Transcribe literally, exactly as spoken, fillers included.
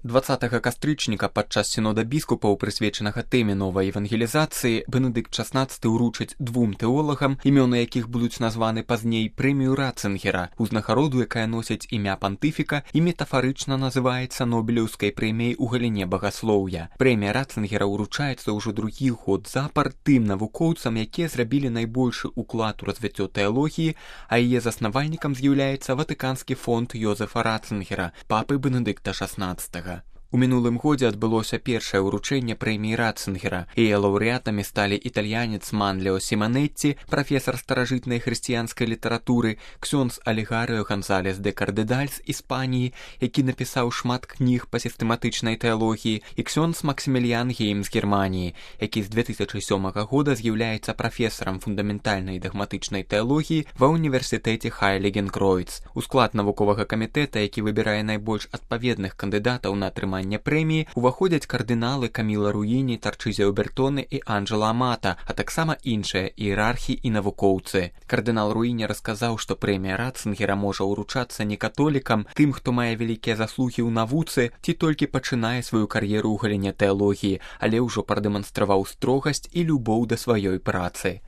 дваццатага кастрычніка падчас сінода біскупаў, прысвечанага тэме новай евангелізацыі, Бенедыкт шаснаццаты ўручыць двум тэолагам, імёны якіх будуць названы пазней прэмію Ратцынгера, узнагароду, якая носіць імя пантыфіка і метафарычна называецца Нобелеўскай прэміяй у галіне багаслоўя. Прэмія Ратцынгера ўручаецца ўжо другі год запар тым навукоўцам, якія зрабілі найбольшы ўклад у развіццё тэалогіі, а яе заснавальнікам з'яўляецца Ватыканскі фонд Йозефа Ратцынгера, папы Бенедыкта шаснаццатага. У мінулым годзе адбылося першае ўручэнне прэміі Ратцынгера. Яе лаўрэатамі сталі італьянец Манлео Сіманетці, прафесар старажытнай хрысціянскай літаратуры, ксёндз Алегарыо Гонзалес де Кардедаль з Іспаніі, які напісаў шмат кніг па сістэматычнай тэалогіі, і ксёндз Максіміліян Гейм з Германіі, які з две тысячы сёмага года з'яўляецца прафесарам фундаментальнай дагматычнай тэалогіі ва ўніверсітэце Хайлігенкройц. У склад навуковага камітэта, які выбірае найбольш адпаведных кандыдатаў на атрыманне прэміі, уваходзяць кардыналы Каміла Руіні, Тарчызіо Бертоне і Анджела Амата, а таксама іншыя іерархі і навукоўцы. Кардынал Руіні расказаў, што прэмія Ратцынгера можа ўручацца не католікам, тым, хто мае вялікія заслугі ў навуцы ці толькі пачынае сваю кар'еру ў галіне тэалогіі, але ўжо прадэманстраваў строгасць і любоў да сваёй працы.